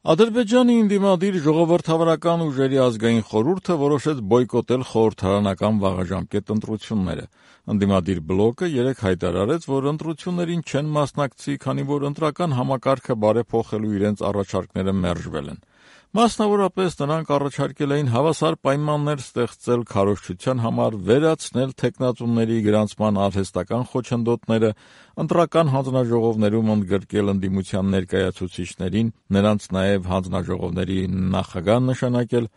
Ադրբեջանի ընդդիմադիր ժողովրդավարական ուժերի ազգային խորհուրդը որոշեց բոյկոտել խորհրդարանական վաղաժամկետ ընտրությունները։ Ընդդիմադիր բլոկը երեկ հայտարարեց, որ ընտրություններին չեն մասնակցի, քանի որ ընտրական համակարգը բարեփոխելու իրենց առաջարկները մերժվել են։ Մասնավորապես նրանք առաջարկել էին հավասար պայմաններ ստեղծել քարոզչության համար, վերացնել թեկնածուների գրանցման արհեստական խոչընդոտները, ընտրական հանձնաժողովներում ընդգրկել ընդդիմության ներկայացուցիչներին, նրանց նաև հանձնաժողովների նախագահ նշանակել։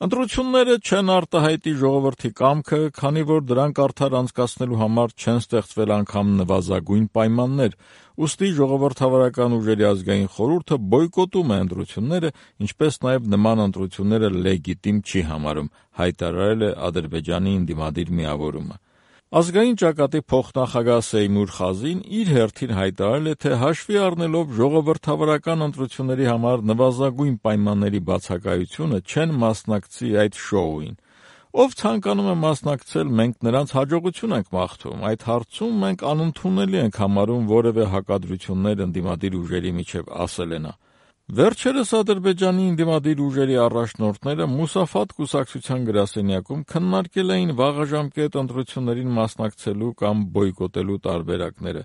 Ընտրությունները չեն արտահայտի ժողովրդի կամքը, քանի որ դրանք արդար անցկացնելու համար չեն ստեղծվել անգամ նվազագույն պայմաններ, ուստի ժողովրդավարական ուժերի ազգային խորհուրդը բոյկոտում է ընտրությունները, ինչպես նաև նման ընտրությունները լեգիտիմ չի համարում, հայտարարել է Ադրբեջանի ընդդիմադիր միավորումը։ Ազգային ճակատի փոխնախագահ Սեյմուր Խազին իր հերթին հայտարարել է, թե հաշվի առնելով ժողովրդավարական ընտրությունների համար նվազագույն պայմանների բացակայությունը չեն մասնակցի այդ շոուին։ Ով ցանկանում է մասնակցել, մենք նրանց հաջողություն ենք մաղթում, այդ հարցում մենք անընդունելի ենք համարում որևէ հակադրություններ ընդդիմադիր ուժերի միջև, ասել է նա։ Վերջերս Ադրբեջանի ընդդիմադիր ուժերի առաջնորդները Մուսաֆատ կուսակցության գրասենյակում քննարկել էին վաղաժամկետ ընտրություններին մասնակցելու կամ բոյկոտելու տարբերակները։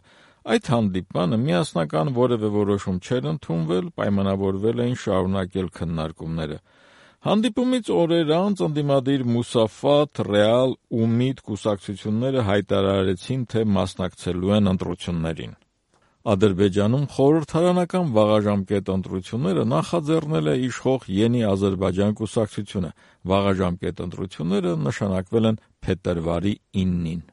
Այդ հանդիպմանը միասնական որևէ որոշում չէր ընդունվել, պայմանավորվել էին շարունակել քննարկումները։ Հանդիպումից օրեր անց ընդդիմադիր Մուսաֆատ, Ռեալ, ՈՒՄԻԴ կուսակցությունները հայտարարեցին, թե մասնակցելու են ընտրություններին։ Ադրբեջանում խորհրդարանական վաղաժամկետ ընտրությունները նախաձեռնել է իշխող Ենի Ադրբեջան կուսակցությունը։ Վաղաժամկետ ընտրությունները նշանակվել են փետրվարի 9-ին։